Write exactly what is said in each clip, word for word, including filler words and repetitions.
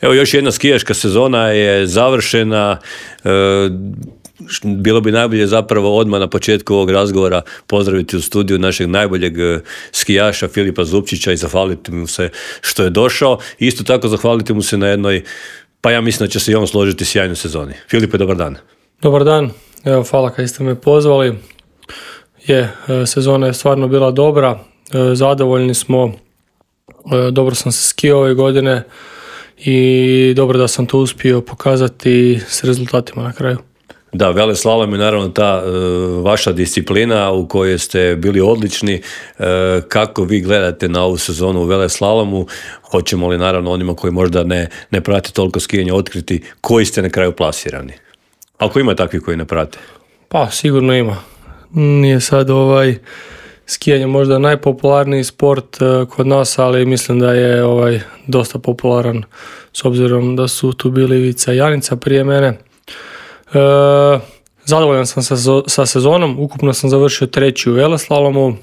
Evo, još jedna skijaška sezona je završena. E, bilo bi najbolje zapravo odmah na početku ovog razgovora pozdraviti u studiju našeg najboljeg skijaša Filipa Zupčića i zahvaliti mu se što je došao. Isto tako zahvaliti mu se na jednoj, pa ja mislim da će se i on složiti, sjajnoj sezoni. Filipe, dobar dan. Dobar dan. Evo, hvala kad ste me pozvali. Je, sezona je stvarno bila dobra. Zadovoljni smo. Dobro sam se skijao ove godine i dobro da sam to uspio pokazati s rezultatima na kraju. Da, veleslalom je naravno ta e, vaša disciplina u kojoj ste bili odlični. E, kako vi gledate na ovu sezonu u veleslalomu? Hoćemo li naravno onima koji možda ne, ne prate toliko skijanja otkriti koji ste na kraju plasirani? Ako ima takvi koji ne prate? Pa sigurno ima. Nije sad ovaj skijanje možda najpopularniji sport uh, kod nas, ali mislim da je ovaj dosta popularan s obzirom da su tu bili Ivica i Janica prije mene. Uh, zadovoljan sam sa, sa sezonom, ukupno sam završio treći u veleslalomu, uh,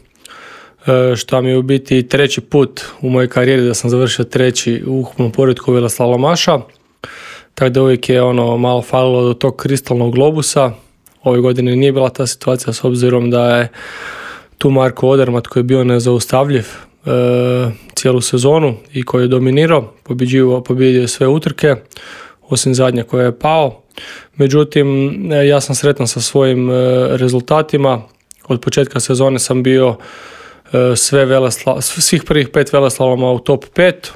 što mi je u biti treći put u mojoj karijeri da sam završio treći u ukupnom poretku veleslalomaša, tako da uvijek je ono malo falilo do tog kristalnog globusa. Ove godine nije bila ta situacija s obzirom da je tu Marko Odermatt koji je bio nezaustavljiv e, cijelu sezonu i koji je dominirao, pobjedio je sve utrke, osim zadnje koje je pao. Međutim, e, ja sam sretan sa svojim e, rezultatima. Od početka sezone sam bio e, sve velesla, svih prvih pet veleslaloma u top pet,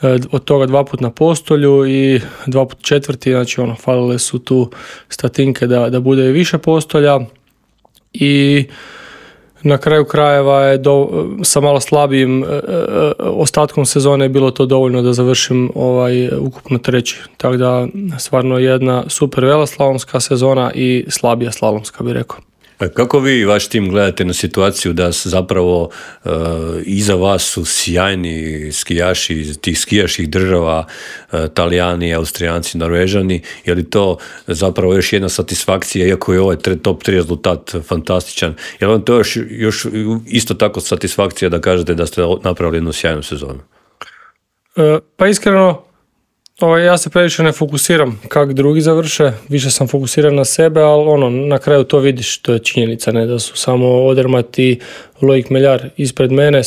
e, od toga dva put na postolju i dva put četvrti, znači ono, falile su tu statinke da, da bude više postolja i na kraju krajeva je do, sa malo slabijim e, e, ostatkom sezone je bilo to dovoljno da završim ovaj ukupno treći. Tako da stvarno jedna super veleslalomska sezona i slabija slalomska, bih rekao. Kako vi i vaš tim gledate na situaciju da zapravo e, iza vas su sjajni skijaši iz tih skijaških država, e, Talijani, Austrijanci, Norvežani? Je li to zapravo još jedna satisfakcija, iako je ovaj top tri rezultat fantastičan? Je li vam to još, još isto tako satisfakcija da kažete da ste napravili jednu sjajnu sezonu? E, pa iskreno, Ovaj, ja se previše ne fokusiram kako drugi završe, više sam fokusiran na sebe, ali ono, na kraju to vidiš, to je činjenica, ne, da su samo Odermatt i Loic Meillard ispred mene,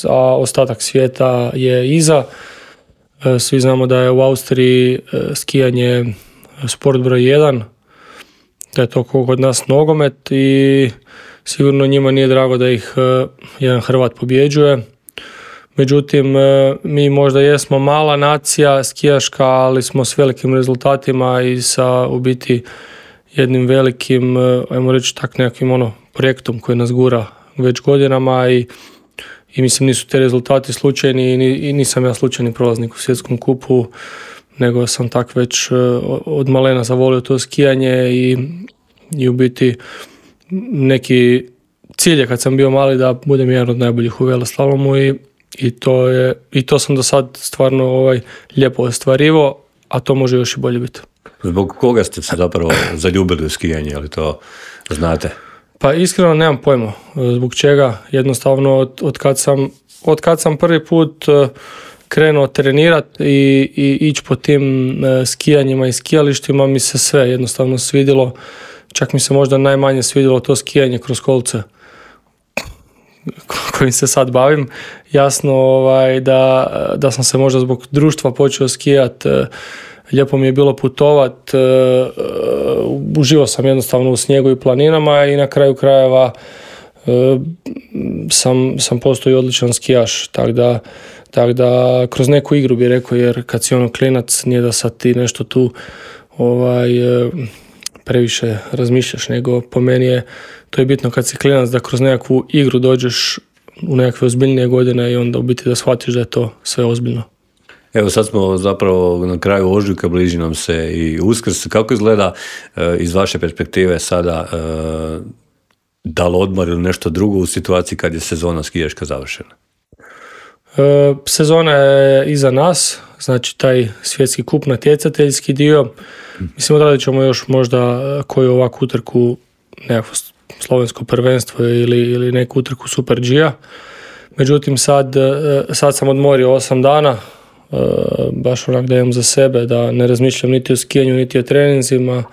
a ostatak svijeta je iza. Svi znamo da je u Austriji skijanje sport broj jedan, da je to kod nas nogomet i sigurno njima nije drago da ih jedan Hrvat pobjeđuje. Međutim, mi možda jesmo mala nacija skijaška, ali smo s velikim rezultatima i sa u biti jednim velikim, ajmo reći tak nekakvim ono, projektom koji nas gura već godinama i, i mislim nisu te rezultati slučajni i, i nisam ja slučajni prolaznik u svjetskom kupu, nego sam tak već od malena zavolio to skijanje i, i u biti neki cilj je kad sam bio mali da budem jedan od najboljih u veleslalomu i I to, je, I to sam do sad stvarno ovaj, lijepo ostvarivo, a to može još i bolje biti. Zbog koga ste se zapravo zaljubili u skijanje, ali to znate? Pa iskreno nemam pojma zbog čega. Jednostavno od, od, kad, sam, od kad sam prvi put krenuo trenirati i, i ići po tim skijanjima i skijalištima mi se sve jednostavno svidjelo. Čak mi se možda najmanje svidjelo to skijanje kroz kolce kojim se sad bavim. Jasno ovaj, da, da sam se možda zbog društva počeo skijat, lijepo mi je bilo putovat, uživao sam jednostavno u snijegu i planinama i na kraju krajeva sam, sam postao i odličan skijaš, tako da, tak da kroz neku igru bih rekao, jer kad si ono klinac nije da sad ti nešto tu ovaj, previše razmišljaš, nego po meni je to je bitno kad si klinac da kroz nekakvu igru dođeš u nekakve ozbiljnije godine i onda u biti da shvatiš da je to sve ozbiljno. Evo sad smo zapravo na kraju ožujka, bliži nam se i Uskrs. Kako izgleda e, iz vaše perspektive sada e, da li odmor ili nešto drugo u situaciji kad je sezona skijaška završena? E, sezona je iza nas, znači taj svjetski kup, natjecateljski dio. Mislim, odradit ćemo još možda koju ovakvu utrku, nekakvo slovensko prvenstvo ili, ili neku utrku Super G-a. Međutim, sad, sad sam odmorio osam dana, baš onak da imam za sebe, da ne razmišljam niti o skijanju, niti o treninzima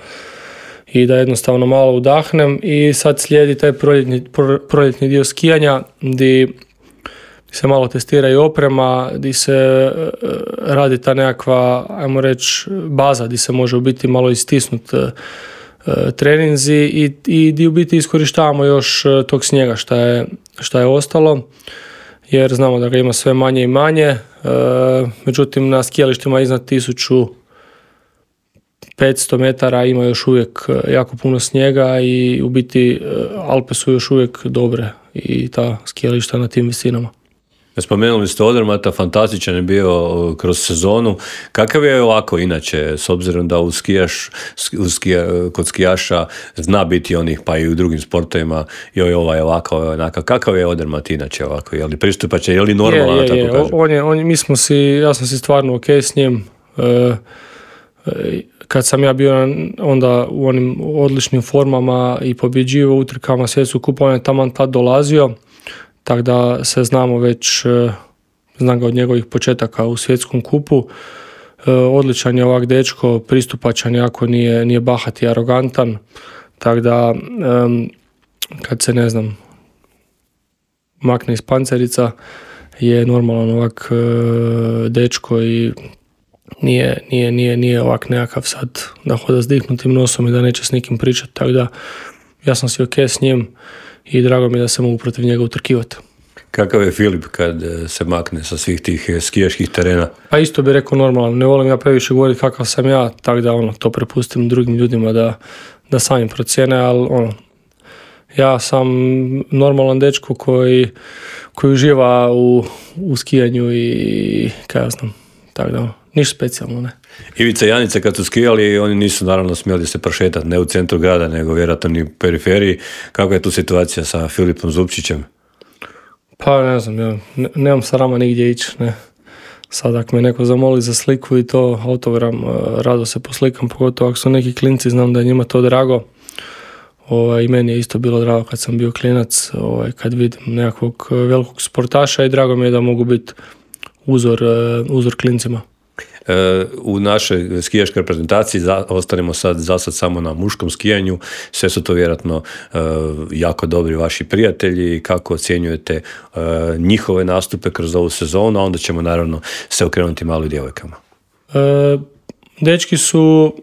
i da jednostavno malo udahnem. I sad slijedi taj proljetni, proljetni dio skijanja gdje se malo testira i oprema, gdje se radi ta nekakva, ajmo reći, baza gdje se može u biti malo istisnuti treninzi i, i gdje u biti iskorištavamo još tog snijega šta je, šta je ostalo, jer znamo da ga ima sve manje i manje. E, međutim, na skijalištima iznad tisuću petsto metara ima još uvijek jako puno snijega i u biti Alpe su još uvijek dobre i ta skijališta na tim visinama. Spomenuli ste Odermata, fantastičan je bio kroz sezonu. Kakav je ovako inače, s obzirom da u skijaš, u skija, kod skijaša zna biti onih, pa i u drugim sportovima, joj ovaj ovako, ovaj onaka. Kakav je Odermat inače ovako? Je li pristupačan, je li normalan, je, je, tako je. kažem? On je, on, mi smo si, ja sam si stvarno ok s njim. E, kad sam ja bio onda u onim odličnim formama i pobjeđivao utrkama svjetskog kupa, on je taman tad dolazio. Tako da se znamo već, znam ga od njegovih početaka u svjetskom kupu. Odličan je ovak dečko, pristupačan, jako nije, nije bahat i arogantan. Tako da, kad se, ne znam, makne iz pancerica, je normalan ovak dečko i nije, nije, nije, nije ovak nekakav sad da hoda s dihnutim nosom i da neće s nikim pričati. Tako da, ja sam si ok s njim i drago mi je da se mogu protiv njega utrkivati. Kakav je Filip kad se makne sa svih tih skijaških terena? Pa isto bih rekao normalno. Ne volim ja previše govoriti kakav sam ja, tako da ono, to prepustim drugim ljudima da, da sami procjene, ali ono, ja sam normalan dečko koji, koji uživa u, u skijanju i kaj ja znam, tako da ono, ništa specijalno, ne. Ivica i Janica kad su skijali, oni nisu naravno smjeli se prošetati, ne u centru grada, nego vjerojatno ni u periferiji. Kako je tu situacija sa Filipom Zupčićem? Pa ne znam, ja ne, nemam sarama nigdje ići, ne. Sad ako me neko zamoli za sliku i to autogram, rado se poslikam, pogotovo ako su neki klinci, znam da je njima to drago. Ovaj, i meni je isto bilo drago kad sam bio klinac, ovaj, kad vidim nekakvog velikog sportaša i drago mi je da mogu biti uzor, uzor klincima. U našoj skijaškoj reprezentaciji za, ostanemo sad za sad samo na muškom skijanju. Sve su to vjerojatno uh, jako dobri vaši prijatelji. Kako ocjenjujete uh, njihove nastupe kroz ovu sezonu, a onda ćemo naravno se okrenuti malo i djevojkama. E, dečki su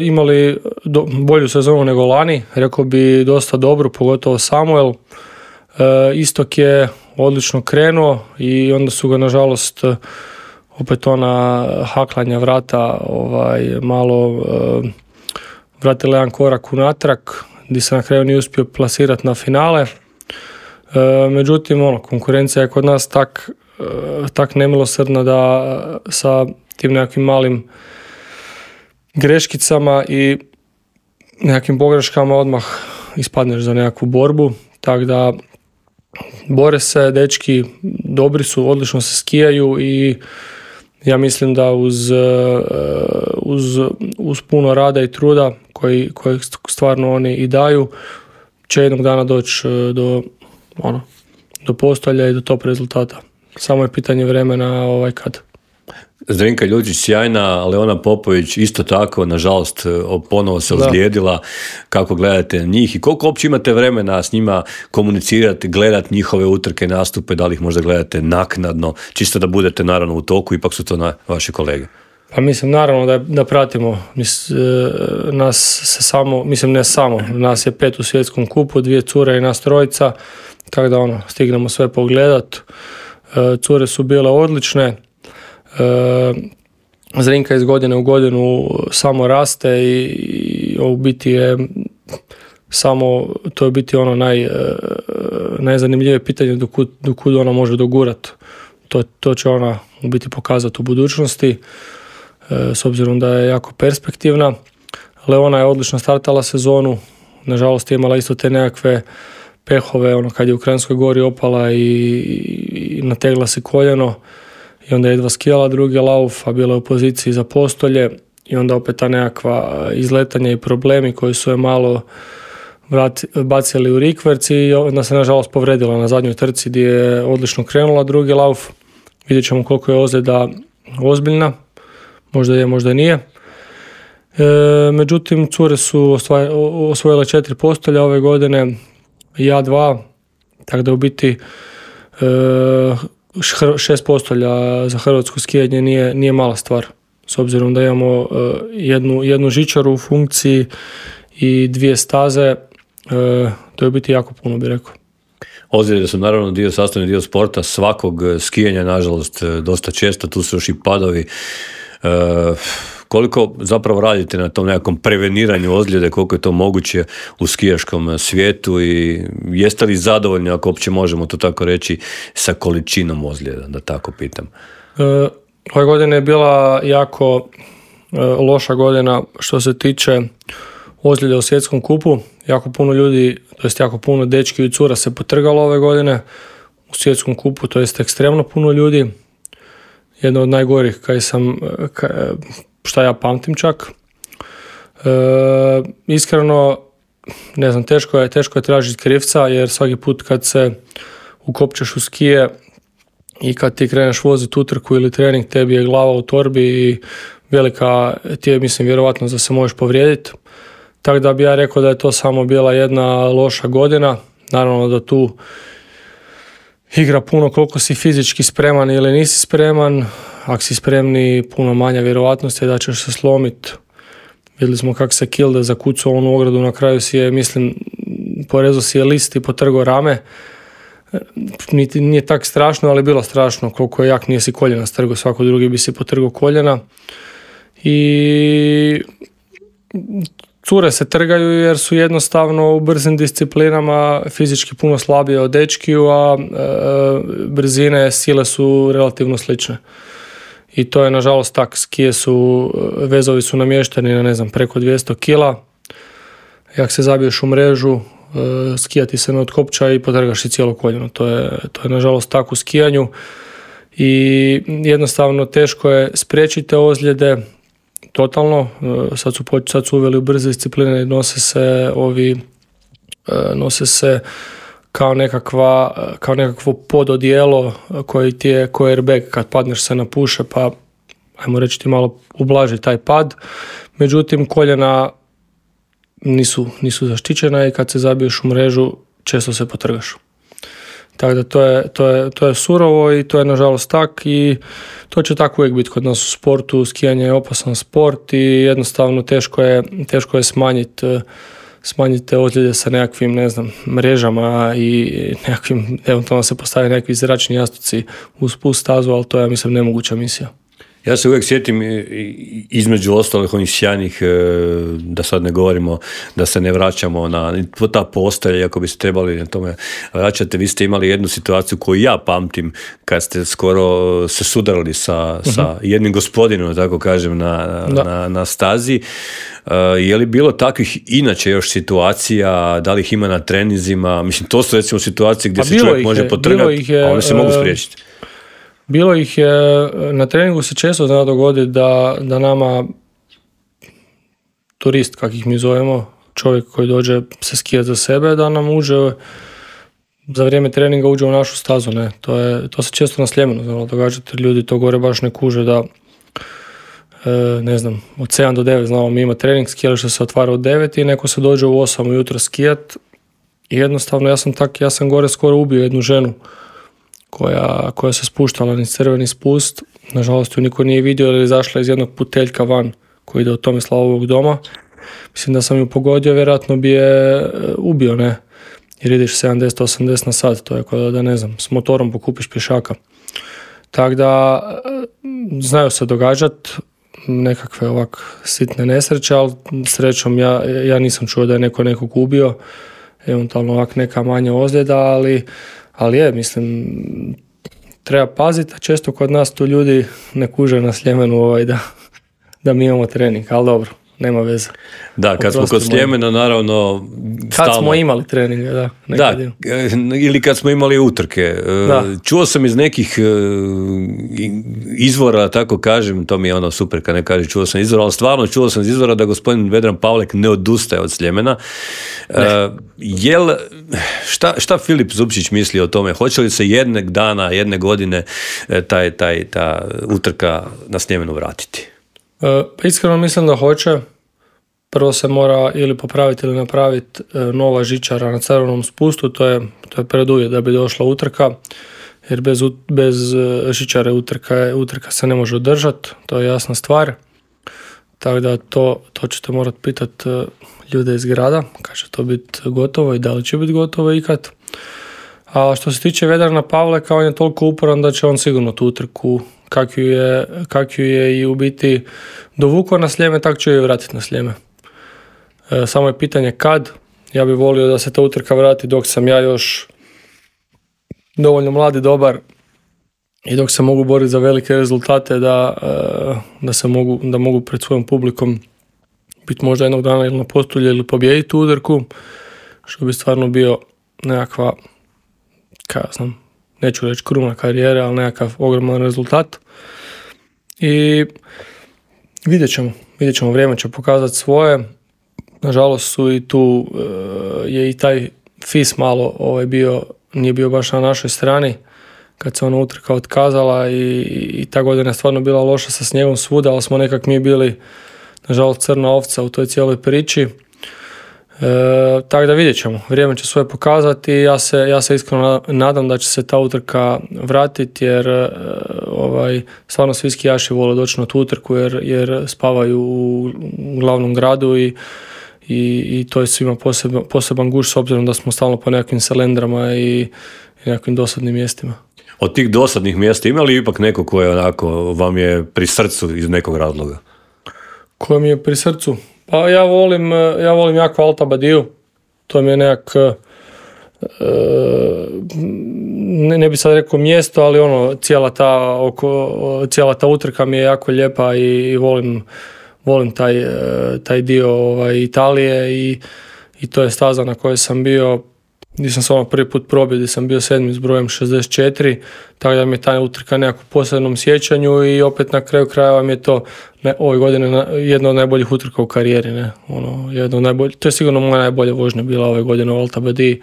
imali do, bolju sezonu nego lani, rekao bi dosta dobro, pogotovo Samuel. E, Istok je odlično krenuo i onda su ga nažalost opet ona haklanja vrata ovaj, malo uh, vratila jedan korak unatrag gdje se na kraju nije uspio plasirati na finale. Uh, međutim, ono, konkurencija je kod nas tak, uh, tak nemilosrdna da sa tim nekakvim malim greškicama i nekakvim pogreškama odmah ispadneš za nekakvu borbu. Tako da bore se, dečki dobri su, odlično se skijaju i ja mislim da uz, uz, uz puno rada i truda koji, koji stvarno oni i daju će jednog dana doći do, ono, do postolja i do top rezultata. Samo je pitanje vremena ovaj kad. Zdenka Ljučić sjajna, Leona Popović isto tako, nažalost ponovo se ozlijedila. Kako gledate njih i koliko uopće imate vremena s njima komunicirati, gledati njihove utrke, nastupe, da li ih možda gledate naknadno, čisto da budete naravno u toku, ipak su to na vaši kolege? Pa mislim naravno da, da pratimo. Mis, nas se samo, mislim ne samo, nas je pet u svjetskom kupu, dvije cure i nas trojica, tako da ono, stignemo sve pogledat. Cure su bile odlične. E, Zrinka iz godine u godinu samo raste i, i u biti je samo, to je biti ono naj, najzanimljivije pitanje do kud, do kud ona može dogurat. To, to će ona u biti pokazati u budućnosti, e, s obzirom da je jako perspektivna. Leona je odlično startala sezonu, nažalost je imala isto te nekakve pehove, ono kad je u Kranjskoj gori opala i, i nategla se koljeno. I onda je jedva skijala drugi lauf, a bila je u poziciji za postolje i onda opet ta nekakva izletanja i problemi koji su je malo vrat, bacili u rikverc i onda se nažalost povredila na zadnjoj trci gdje je odlično krenula drugi lauf. Vidjet ćemo koliko je ozljeda ozbiljna, možda je, možda nije. E, međutim, cure su osvojile četiri postolja ove godine, ja dva, tako da u biti e, šest postolja za hrvatsko skijanje nije, nije mala stvar. S obzirom da imamo e, jednu, jednu žičaru u funkciji i dvije staze, e, to je u biti jako puno, bi rekao. Ozljede su naravno dio, sastavni dio sporta, svakog skijanja, nažalost, dosta često, tu su još i padovi. E, koliko zapravo radite na tom nekakvom preveniranju ozljede, koliko je to moguće u skijaškom svijetu i jeste li zadovoljni, ako uopće možemo to tako reći, sa količinom ozljeda, da tako pitam? E, ove godine je bila jako e, loša godina što se tiče ozljede u svjetskom kupu. Jako puno ljudi, to jest jako puno dečki i cura se potrgalo ove godine u svjetskom kupu, to jest ekstremno puno ljudi. Jedno od najgorih kaj sam, kaj, šta ja pamtim čak. E, iskreno, ne znam, teško je, teško je tražiti krivca, jer svaki put kad se ukopčeš u skije i kad ti kreneš voziti utrku ili trening, tebi je glava u torbi i velika ti je, mislim, vjerovatno da se možeš povrijediti. Tako da bi ja rekao da je to samo bila jedna loša godina. Naravno da tu igra puno koliko si fizički spreman ili nisi spreman. Ako si spremni, puno manja vjerovatnost je da ćeš se slomiti. Vidjeli smo kako se Kilde zakucao onu ogradu, na kraju si je, mislim, porezao si je list i potrgao rame. Niti, nije tak strašno, ali bilo strašno. Koliko je jak, nije si koljena strgao, svako drugi bi si potrgao koljena. I cure se trgaju jer su jednostavno u brzim disciplinama fizički puno slabije od dečkiju, a e, brzine, sile su relativno slične. I to je nažalost tak. Skije su, vezovi su namješteni na, ne znam, preko dvjesto kila. Jak se zabiješ u mrežu, e, skija ti se ne otkopča i potrgaš si cijelo koljeno. To je, to je nažalost tak u skijanju. I jednostavno teško je spriječiti ozljede. Totalno, sad su, sad su uveli u brze discipline i nose se ovi, nose se kao nekakva, kao nekakvo pododijelo koji ti je ko airbag kad padneš se napuše, pa ajmo reći ti malo ublaži taj pad. Međutim, koljena nisu, nisu zaštićena i kad se zabiješ u mrežu često se potrgaš. Tako da to je, to je, to je surovo i to je nažalost tak i to će tako uvijek biti kod nas u sportu. Skijanje je opasan sport i jednostavno teško je, teško je smanjiti smanjiti te ozljede sa nekakvim, ne znam, mrežama i nekakvim, eventualno se postavi nekakvi zračni jastuci uz pust stazu, ali to je, mislim, nemoguća misija. Ja se uvijek sjetim između ostalih onih sjajnih, da sad ne govorimo, da se ne vraćamo na ta postelja, iako bi se trebali na tome vraćati. Vi ste imali jednu situaciju koju ja pamtim, kad ste skoro se sudarali sa, uh-huh. sa jednim gospodinom, tako kažem, na, na, na stazi. Je li bilo takvih inače još situacija, da li ih ima na treninzima? Mislim, to su recimo situacije gdje pa se čovjek može potrgati, a one se mogu spriječiti. Bilo ih je, na treningu se često zna dogoditi da, da nama turist, kak ih mi zovemo, čovjek koji dođe se skijati za sebe, da nam uđe za vrijeme treninga uđe u našu stazu. Ne? To, je, to se često na Sljemenu znalo događati, ljudi to gore baš ne kuže da, e, ne znam, od sedam do devet znamo mi ima trening, skijalište se otvara od devet i neko se dođe u osam ujutro skijat i jednostavno ja sam tak, ja sam gore skoro ubio jednu ženu koja, koja se spuštala niz crveni spust. Nažalost ju niko nije vidio jer je izašla iz jednog puteljka van koji ide od Tomislavovog doma. Mislim da sam ju pogodio, vjerojatno bi je ubio, ne? Jer ideš sedamdeset osamdeset na sat, to je kao da, ne znam, s motorom pokupiš pješaka. Tako da znaju se događati nekakve ovak sitne nesreće, ali srećom ja, ja nisam čuo da je neko nekog ubio, eventualno ovak neka manja ozljeda, ali Ali je, mislim, treba paziti, a često kod nas tu ljudi ne kuže na Sljemenu ovaj da, da mi imamo trening, ali dobro, nema veze. Da, kad smo kod Sljemena, naravno... Kad stalno... smo imali treninge, da. Da, ili kad smo imali utrke. Da. Čuo sam iz nekih izvora, tako kažem, to mi je ono super kad ne kaže čuo sam izvora, ali stvarno čuo sam iz izvora da gospodin Vedran Pavlek ne odustaje od Sljemena. Ne. Uh, jel, šta, šta Filip Zupčić misli o tome? Hoće li se jednog dana, jedne godine taj, taj, ta utrka na Sljemenu vratiti? Uh, iskreno mislim da hoće. Prvo se mora ili popraviti ili napraviti nova žičara na crvenom spustu, to je, to je preduvjet da bi došla utrka, jer bez, bez žičare utrka, utrka se ne može održati, to je jasna stvar. Tako da to, to ćete morati pitati ljude iz grada, kad će to biti gotovo i da li će biti gotovo ikad. A što se tiče Vedrana Pavleka, on je toliko uporan da će on sigurno tu utrku, kak ju je, kak ju je i u biti dovukao na Sljeme, tako će ju vratiti na Sljeme. E, samo je pitanje kad. Ja bih volio da se ta utrka vrati dok sam ja još dovoljno mlad i dobar i dok se mogu boriti za velike rezultate, da, da se mogu, da mogu pred svojom publikom biti možda jednog dana ili na postulju ili pobijediti tu utrku, što bi stvarno bio nekakva, kaj ja znam, neću reći kruna karijera, ali nekakav ogroman rezultat. I vidjet ćemo, vidjet ćemo, vrijeme će pokazati svoje. Nažalost su i tu, je i taj F I S malo ovaj bio, nije bio baš na našoj strani, kad se ona utrka otkazala i, i ta godina je stvarno bila loša sa snijegom svuda, ali smo nekak mi bili, nažalost, crna ovca u toj cijeloj priči. E, tako da vidjet ćemo, vrijeme će svoje pokazati. Ja se, ja se iskreno nadam da će se ta utrka vratiti, jer e, ovaj, stvarno svi skijaši vole doći na tu utrku, jer, jer spavaju u, u glavnom gradu i, i, i to je svima poseban, poseban guš, s obzirom da smo stalno po nekakvim selendrama i, i nekakvim dosadnim mjestima. Od tih dosadnih mjesta ima li ipak neko koje onako vam je pri srcu iz nekog razloga? Koje mi je pri srcu? Pa ja volim, ja volim jako Alta Badiju. To mi je nekak, ne, ne bi sad rekao mjesto, ali ono, cijela ta, oko, cijela ta utrka mi je jako lijepa i, i volim, volim taj, taj dio ovaj, Italije i, i to je staza na kojoj sam bio. Nisam se ono prvi put probio, gdje sam bio sedmi s brojem šezdeset četiri, tako da mi je ta utrka nekako posebnom sjećanju i opet na kraju krajeva mi je to ne, ove godine jedna od najboljih utrka u karijeri. Ne? Ono, jedno od najbolj, to je sigurno moja najbolja vožnja bila ove godine u Alta Badiji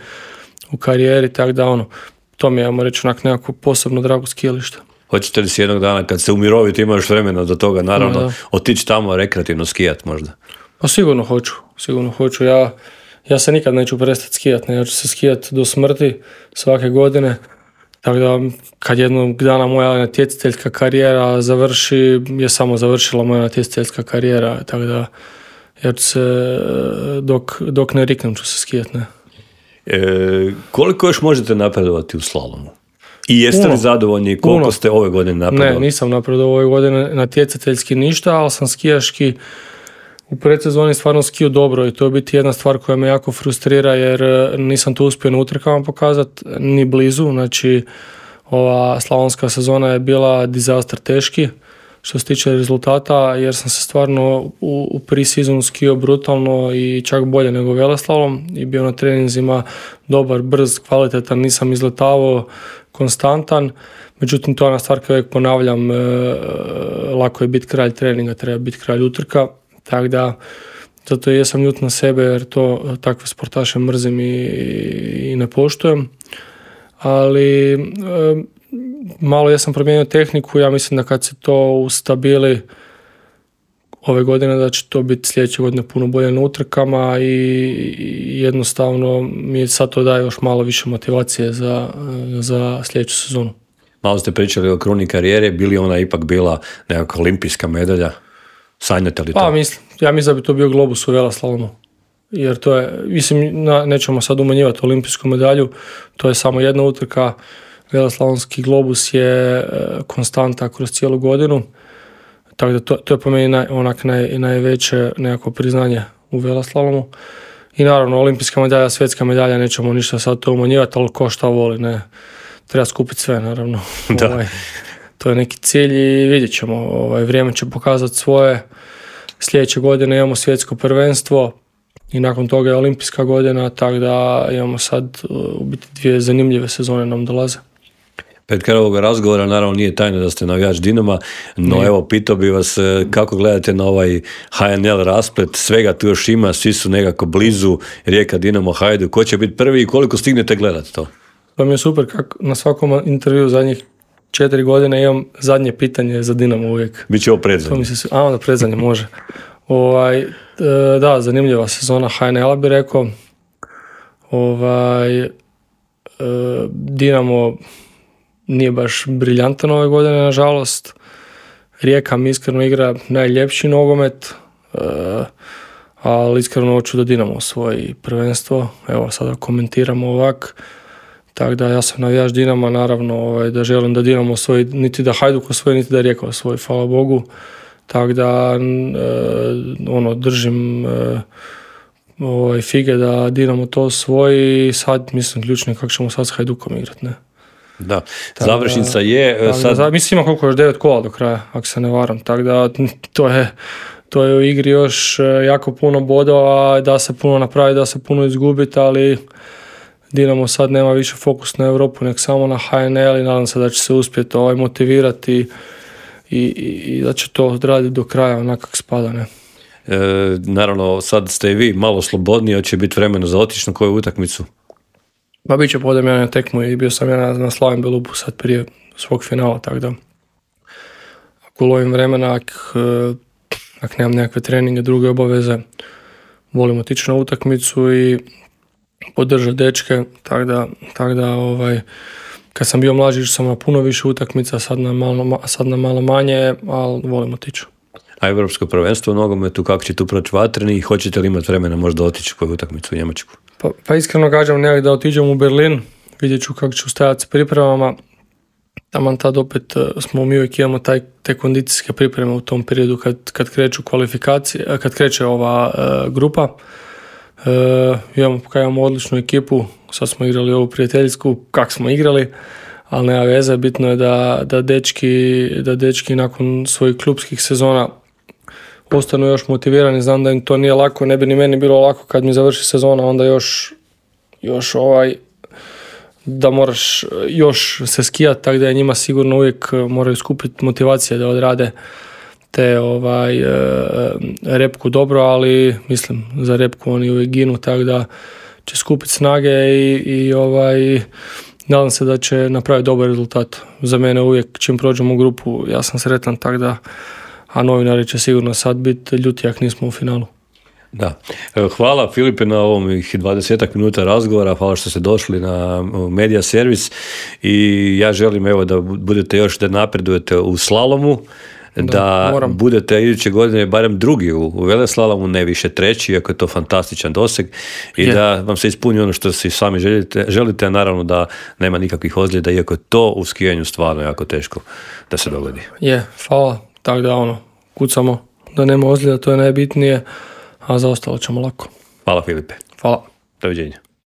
u karijeri, tako da ono, to mi je, ajmo reći, onak nekako posebno drago skijalište. Hoćete li si jednog dana kad se umirovite, imaš vremena do toga, naravno, da. Otići tamo rekreativno skijat možda? Pa sigurno hoću, sigurno hoću. Ja Ja se nikad neću prestati skijati, ja ću se skijati do smrti svake godine, tako da kad jednog dana moja natjecateljska karijera završi, je samo završila moja natjecateljska karijera, tako da ja ću se, dok, dok ne riknem ću se skijati. Ne. E, koliko još možete napredovati u slalomu? I jeste Puno. li zadovoljni koliko Puno. ste ove godine napredovali? Ne, nisam napredovao ove godine natjecateljski ništa, ali sam skijaški u predsezoni stvarno skiju dobro i to je biti jedna stvar koja me jako frustrira, jer nisam to uspio na utrkama pokazati ni blizu. Znači, ova slavonska sezona je bila disaster teški što se tiče rezultata, jer sam se stvarno u, u pre-sezonu skio brutalno i čak bolje nego veleslalom i bio na treninzima dobar, brz, kvalitetan, nisam izletavao, konstantan. Međutim, to je ona stvar koju uvijek ponavljam, e, lako je biti kralj treninga, treba biti kralj utrka. Tako da, zato jesam ljut na sebe, jer to takve sportaše mrzim i, i ne poštujem. Ali e, malo jesam promijenio tehniku, ja mislim da kad se to ustabili ove godine, da će to biti sljedeće godine puno bolje na utrkama i, i jednostavno mi sad to daje još malo više motivacije za, za sljedeću sezonu. Malo ste pričali o kruni karijere, bi li ona ipak bila nekakva olimpijska medalja? Sanjate li to? Pa mislim, ja mislim da bi to bio globus u veleslalomu. Jer to je, mislim, na, nećemo sad umanjivati olimpijsku medalju, to je samo jedna utrka. Veleslalomski globus je e, konstanta kroz cijelu godinu. Tako da to, to je po meni naj, onak naj, najveće nekako priznanje u veleslalomu. I naravno, olimpijska medalja, svjetska medalja, nećemo ništa sad to umanjivati, ali ko šta voli, ne. Treba skupiti sve, naravno. Da. Ovaj, to je neki cilj i vidjet ćemo. Ovaj, vrijeme će pokazati svoje. sljedeće godine imamo svjetsko prvenstvo i nakon toga je olimpijska godina, tako da imamo sad u biti dvije zanimljive sezone nam dolaze. Pred kraj ovoga razgovora naravno nije tajno da ste navijač Dinama, no nije. Evo pitao bi vas kako gledate na ovaj ha en el rasplet, svega tu još ima, svi su nekako blizu, Rijeka, Dinamo, Hajduk, ko će biti prvi i koliko stignete gledati to? To mi je super kako na svakom intervju zadnjih četiri godine imam zadnje pitanje za Dinamo uvijek. Biće ovo predzadnje. Se, a onda predzadnje može. Ovaj, da, zanimljiva sezona ha en el-a bi rekao. Ovaj, Dinamo nije baš briljantan ove godine, nažalost. Rijeka mi iskreno igra najljepši nogomet, ali iskreno hoću da Dinamo osvoji prvenstvo. Evo, sada komentiramo ovak. Tako da ja sam navijač Dinama, naravno ovaj, da želim da Dinamo osvoji, niti da Hajduk osvoji, niti da Rijeka osvoji, hvala Bogu. Tako da e, ono, držim e, ovaj, fige da Dinamo to osvoji i sad mislim ključno je kako ćemo sad s Hajdukom igrati, ne? Da, tako završnica je... Da, sad... da, mislim ima koliko još devet kola do kraja, ako se ne varam, tako da to je, to je u igri još jako puno bodova, da se puno napravi, da se puno izgubiti, ali Dinamo sad nema više fokus na Europu, nek samo na ha en el i nadam se da će se uspjeti ovaj, motivirati i, i, i da će to odraditi do kraja onak kako spada, ne? E, naravno, sad ste i vi malo slobodniji, hoće biti vremena za otići na koju utakmicu? Pa bit će podem ja na tekmu i bio sam ja na, na Slavim Belupu sad prije svog finala, tako da ako lovim vremena, ako, ako nemam nekakve treninge, druge obaveze, volim otići na utakmicu i podržati dečke, tako da, tak da ovaj, kad sam bio mlađi sam na puno više utakmica, sad na malo, sad na malo manje, ali volim otići. A Europsko prvenstvo u nogometu, kako će tu proći Vatreni i hoćete li imati vremena možda otići koju utakmicu u Njemačku? Pa, pa iskreno kažem nekak da otiđem u Berlin, vidjet ću kako ću stajati s pripremama. Taman tad opet smo mi uvijek imamo taj, te kondicijske pripreme u tom periodu kad, kad kreću kvalifikacije, kad kreće ova uh, grupa. Uh, imamo, kaj imamo odličnu ekipu, sad smo igrali ovu prijateljsku, kak smo igrali, ali nema veze, bitno je da, da, dečki, da dečki nakon svojih klubskih sezona ostanu još motivirani, znam da im to nije lako, ne bi ni meni bilo lako kad mi završi sezona, onda još, još ovaj, da moraš još se skijati, tako da je njima sigurno uvijek moraju skupiti motivacije da odrade te ovaj, repku dobro, ali mislim za repku oni uvijek ginu, tako da će skupiti snage i, i ovaj, nadam se da će napraviti dobar rezultat. Za mene uvijek čim prođemo u grupu ja sam sretan, tako da, a novinari će sigurno sad biti ljuti ako nismo u finalu. Da. Hvala Filipe na ovom dvadesetak minuta razgovora, hvala što ste došli na Media Servis i ja želim evo da budete još da napredujete u slalomu, da, da budete iduće godine barem drugi u, u veleslalomu, ne više treći, iako je to fantastičan doseg i je. Da vam se ispuni ono što si sami želite, želite, a naravno da nema nikakvih ozljeda, iako je to u skijanju stvarno jako teško da se dogodi. Je, hvala, tako da ono, kucamo da nema ozljeda, to je najbitnije, a za ostalo ćemo lako. Hvala Filipe. Hvala. Doviđenja.